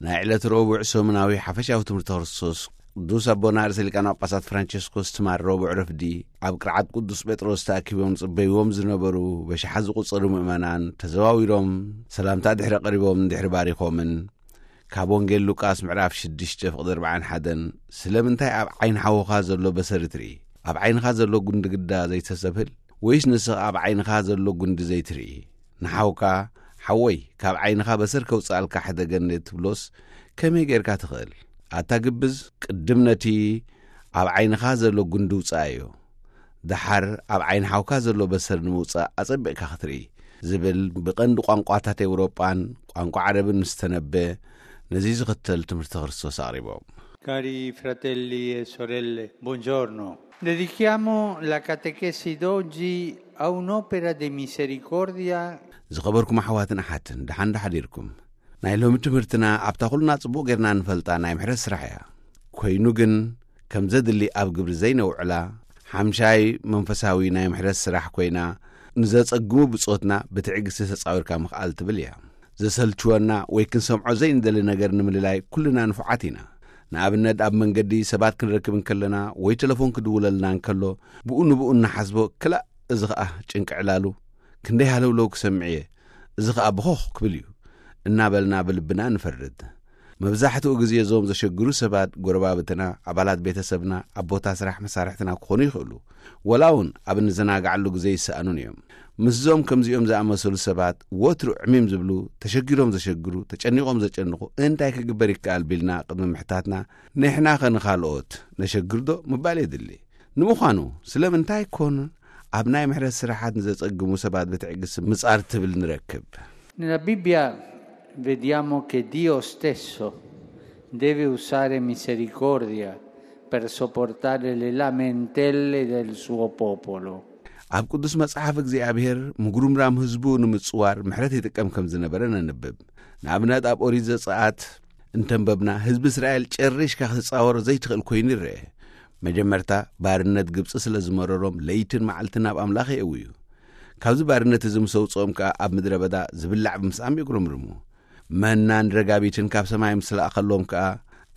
ናይ ዕለት ረቡዕ ሰሙናዊ ሓፈሻዊ ትምህርቲ ክርስቶስ ቅዱስ ኣቦና ርእሰ ሊቃነ ጳጳሳት ፍራንቸስኮስ ትማል ረቡዕ ረፍዲ ኣብ ቅርዓት ቅዱስ ጴጥሮስ ተኣኪቦም ጽበይዎም ዝነበሩ በሽሓት ዝቑጸሩ ምእመናን ተዘዋዊሮም ሰላምታ ድሕሪ ኣቕሪቦም ድሕሪ ባሪኾምን ካብ ወንጌል ሉቃስ ምዕራፍ ሽዱሽተ ፍቕዲ ኣርባዓን ሓደን ስለምንታይ ኣብ ዓይኒ ሓውኻ ዘሎ በሰሪ ትርኢ? ኣብ ዓይንኻ ዘሎ ጉንዲ ግዳ ዘይተሰብህል? ወይስ ንስኻ ኣብ ዓይንኻ ዘሎ ጉንዲ ዘይትርኢ? ንሓውካ ሓወይ ካብ ዓይንኻ በሰር ከውጽኣልካ ሕደገኒ ትብሎስ ከመይ ጌርካ ትኽእል? ኣታ ግብዝ ቅድም ነቲ ኣብ ዓይንኻ ዘሎ ጉንዲ ውጽኣዮ። ደሓር ኣብ ዓይኒ ሓውካ ዘሎ በሰር ንምውጻእ ኣጸቢቕካ ክትርኢ ዝብል ብቐንዲ ቋንቋታት ኤውሮጳን ቋንቋ ዓረብን ምስ ተነበ ነዚ ዝኽተል ትምህርቲ ክርስቶስ ኣቕሪቦም። Cari fratelli e sorelle, buongiorno. Dedichiamo la catechesi d'oggi a un'opera di misericordia. ዝኸበርኩም ኣሕዋትን ኣሓትን ደሓን ዳሓዲርኩም። ናይ ሎሚ ትምህርትና ኣብታ ኩልና ጽቡቕ ጌርና ንፈልጣ ናይ ምሕረት ስራሕ እያ። ኮይኑ ግን ከም ዘድሊ ኣብ ግብሪ ዘይነውዕላ ሓምሻይ መንፈሳዊ ናይ ምሕረት ስራሕ ኮይና ንዘጸግሙ ብጾትና ብትዕግስቲ ተጻዊርካ ምኽኣል ትብል እያ። ዘሰልችወና ወይ ክንሰምዖ ዘይንደሊ ነገር ንምልላይ ኩልና ንፉዓት ኢና። ንኣብነት ኣብ መንገዲ ሰባት ክንረክብ እንከለና ወይ ተለፎን ክድውለልና እንከሎ ብኡ ንብኡ እናሓስቦ ክላእ እዚ ኸኣ ጭንቂ ዕላሉ ክንደይ ሃለውለው ክሰምዕ እየ፣ እዚ ኸኣ ብኾኽ ክብል እዩ እናበልና ብልብና ንፈርድ። መብዛሕትኡ ግዜ እዞም ዘሸግሩ ሰባት ጎረባብትና፣ ኣባላት ቤተሰብና፣ ኣብ ቦታ ስራሕ መሳርሕትና ክኾኑ ይኽእሉ። ወላ እውን ኣብ እንዘናግዓሉ ግዜ ይሰኣኑን እዮም። ምስዞም ከምዚኦም ዝኣመሰሉ ሰባት ወትሩ ዕሚም ዝብሉ፣ ተሸጊሮም ዘሸግሩ፣ ተጨኒቖም ዘጨንቑ እንታይ ክግበር ይከኣል ቢልና ቅድሚ ምሕታትና ንሕና ኸ ንኻልኦት ነሸግርዶ ምባል የድሊ። ንምዃኑ ስለምንታይ ኮን ኣብ ናይ ምሕረት ስራሓት ንዘጸግሙ ሰባት ብትዕግስቲ ምጻር ትብል ንረክብ? Nella Bibbia vediamo che Dio stesso deve usare misericordia per sopportare le lamentele del suo popolo. ኣብ ቅዱስ መጽሓፍ እግዚኣብሔር ምጉርምራም ህዝቡ ንምጽዋር ምሕረት ይጥቀም ከም ዝነበረ ነንብብ። ንኣብነት ኣብ ኦሪት ዘጸኣት እንተንበብና ህዝቢ እስራኤል ጨሪሽካ ክትጻወር ዘይትኽእል ኮይኑ ይረአ። መጀመርታ ባርነት ግብጺ ስለ ዝመረሮም ለይትን መዓልትን ናብ ኣምላኽ የእውዩ። ካብዚ ባርነት እዚ ምስ ኣውጽኦም ከኣ ኣብ ምድረ በዳ ዝብላዕ ብምስኣም የጉረምርሙ። መናን ረጋቢትን ካብ ሰማይ ምስ ለኣኸሎም ከኣ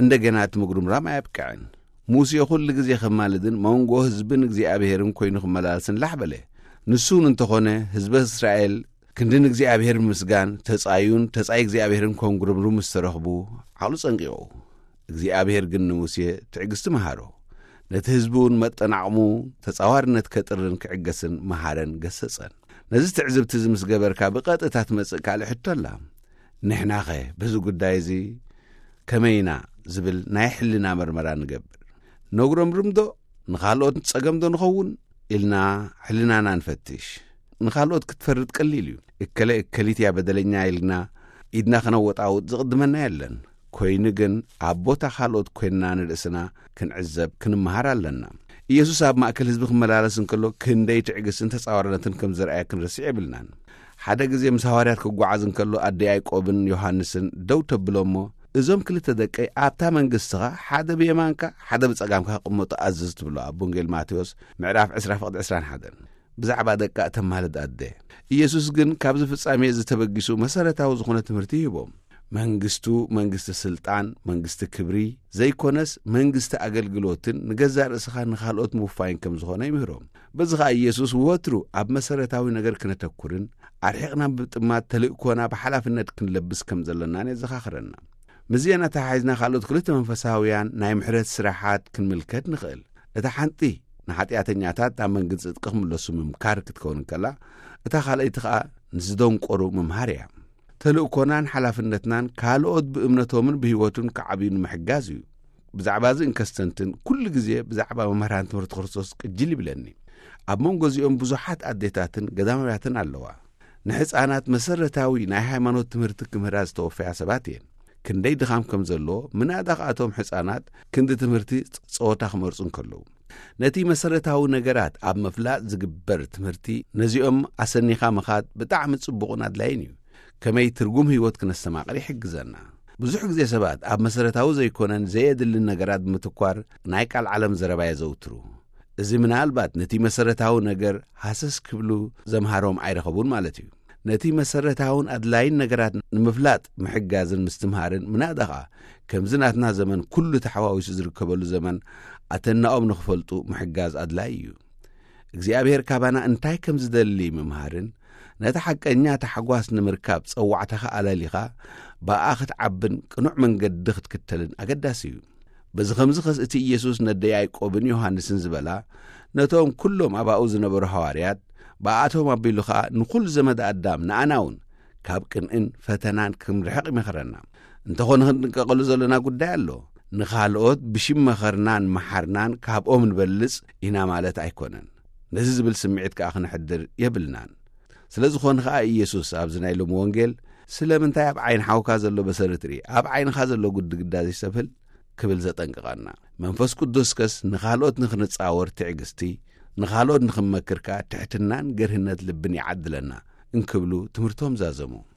እንደገና እቲ ምጉርምራም ኣየብቅዐን። ሙሴ ኩሉ ግዜ ከማልድን መንጎ ህዝብን እግዚኣብሔርን ኮይኑ ክመላለስን ላሕ በለ። ንሱ እውን እንተኾነ ህዝበ እስራኤል ክንዲ ንእግዚኣብሔር ብምስጋን ተጻዩን ተጻይ እግዚኣብሔርን ኮንጉርምሩም ምስ ተረኽቡ ዓቕሉ ጸንቂቑ። እግዚኣብሔር ግን ንሙሴ ትዕግስቲ መሃሮ። ነቲ ህዝቢ እውን መጠን ዓቕሙ ተጻዋርነት ከጥርን ክዕገስን መሃረን ገሰጸን። ነዚ ትዕዝብቲ እዚ ምስ ገበርካ ብቐጥታ ትመጽእ ካልእ ሕቶ ኣላ። ንሕናኸ በዚ ጉዳይ እዚ ከመይ ኢና ዝብል ናይ ሕልና መርመራ ንገብር። ነጉረምርምዶ ንኻልኦት ጸገምዶ ንኸውን ኢልና ሕልናና ንፈትሽ። ንኻልኦት ክትፈርድ ቀሊል እዩ። እከለ እከሊት እያ በደለኛ ኢልና ኢድና ክነወጣውጥ ዝቕድመና የለን። ኮይኑ ግን ኣብ ቦታ ካልኦት ኮይንና ንርእስና ክንዕዘብ ክንመሃር ኣለና። ኢየሱስ ኣብ ማእከል ህዝቢ ክመላለስ እንከሎ ክንደይ ትዕግስትን ተጻዋርነትን ከም ዘርኣየ ክንርስዕ የብልናን። ሓደ ግዜ ምስ ሃዋርያት ክጓዓዝ እንከሎ ኣደ ያዕቆብን ዮሃንስን ደው ተብሎ እሞ እዞም ክልተ ደቀይ ኣብታ መንግስትኻ ሓደ ብየማንካ ሓደ ብጸጋምካ ክቕመጡ ኣዝዝ ትብሎ ኣብ ወንጌል ማቴዎስ ምዕራፍ ዕስራ ፍቕዲ ዕስራን ሓደን። ብዛዕባ ደቃ እተማልድ ኣደ ኢየሱስ ግን ካብዚ ፍጻሜ እዚ ተበጊሱ መሰረታዊ ዝኾነ ትምህርቲ ይህቦም። መንግስቱ መንግስቲ ስልጣን መንግስቲ ክብሪ ዘይኮነስ መንግስቲ ኣገልግሎትን ንገዛእ ርእስኻ ንኻልኦት ምውፋይን ከም ዝኾነ ይምህሮም። በዚ ኸኣ ኢየሱስ ወትሩ ኣብ መሰረታዊ ነገር ክነተኩርን ኣርሒቕና ብምጥማት ተልእኮና ብሓላፍነት ክንለብስ ከም ዘለናን የዘኻኽረና። ምስዚአን ኣተሓሒዝና ካልኦት ክልተ መንፈሳውያን ናይ ምሕረት ስራሓት ክንምልከት ንኽእል። እታ ሓንቲ ንሓጢኣተኛታት ናብ መንግስቲ ጽድቂ ክምለሱ ምምካር ክትከውን እንከላ እታ ካልኣይቲ ኸኣ ንዝደንቆሩ ምምሃር እያ። ተልእኮናን ሓላፍነትናን ካልኦት ብእምነቶምን ብህይወቱን ክዓብዩ ንምሕጋዝ እዩ። ብዛዕባ እዚ እንከስተንትን ኩሉ ግዜ ብዛዕባ መምህራን ትምህርቲ ክርስቶስ ቅጅል ይብለኒ። ኣብ መንጎ እዚኦም ብዙሓት ኣዴታትን ገዳማውያትን ኣለዋ። ንሕፃናት መሰረታዊ ናይ ሃይማኖት ትምህርቲ ክምህራ ዝተወፈያ ሰባት እየን። ክንደይ ድኻም ከም ዘለዎ ምናዳ ከኣቶም ሕፃናት ክንዲ ትምህርቲ ጸወታ ክመርጹ እንከለዉ ነቲ መሰረታዊ ነገራት ኣብ ምፍላጥ ዝግበር ትምህርቲ ነዚኦም ኣሰኒኻ ምኻድ ብጣዕሚ ጽቡቕን ኣድላይን እዩ። ከመይ ትርጉም ህይወት ክነስተማቕር ይሕግዘና። ብዙሕ ግዜ ሰባት ኣብ መሰረታዊ ዘይኮነን ዘየድልን ነገራት ብምትኳር ናይ ቃል ዓለም ዘረባ የዘውትሩ። እዚ ምናልባት ነቲ መሰረታዊ ነገር ሃሰስ ክብሉ ዘምሃሮም ኣይረኸቡን ማለት እዩ። ነቲ መሰረታውን ኣድላይን ነገራት ንምፍላጥ ምሕጋዝን ምስትምሃርን ምናዳ ኸኣ ከምዚ ናትና ዘመን ኩሉ ተሓዋዊሱ ዝርከበሉ ዘመን ኣተናኦም ንኽፈልጡ ምሕጋዝ ኣድላይ እዩ። እግዚኣብሔር ካባና እንታይ ከም ዝደሊ ምምሃርን ነቲ ሓቀኛ ታሕጓስ ንምርካብ ጸዋዕታኻ ኣለሊኻ ብኣ ክትዓብን ቅኑዕ መንገዲ ክትክተልን ኣገዳሲ እዩ። በዚ ኸምዚ ኸስ እቲ ኢየሱስ ነደ ያዕቆብን ዮሃንስን ዝበላ ነቶም ኩሎም ኣባኡ ዝነበሩ ሃዋርያት ብኣቶም ኣቢሉ ኸኣ ንኹሉ ዘመድ ኣዳም ንኣና እውን ካብ ቅንእን ፈተናን ክንርሕቕ ይመኸረና። እንተኾነ ክንጥንቀቐሉ ዘለና ጉዳይ ኣሎ። ንኻልኦት ብሽም መኸርናን መሓርናን ካብኦም ንበልጽ ኢና ማለት ኣይኮነን። ነዚ ዝብል ስምዒት ከኣ ክነሕድር የብልናን። ስለ ዝኾነ ከኣ ኢየሱስ ኣብዚ ናይ ሎሚ ወንጌል ስለምንታይ ኣብ ዓይኒ ሓውካ ዘሎ በሰሪ ትርኢ፣ ኣብ ዓይንኻ ዘሎ ጉድግዳ ዘይሰብህል ክብል ዘጠንቅቐና። መንፈስ ቅዱስ ከስ ንኻልኦት ንኽንጻወር ትዕግስቲ፣ ንኻልኦት ንኽንመክር ከኣ ትሕትናን ገርህነት ልብን ይዓድለና እንክብሉ ትምህርቶም ዛዘሙ።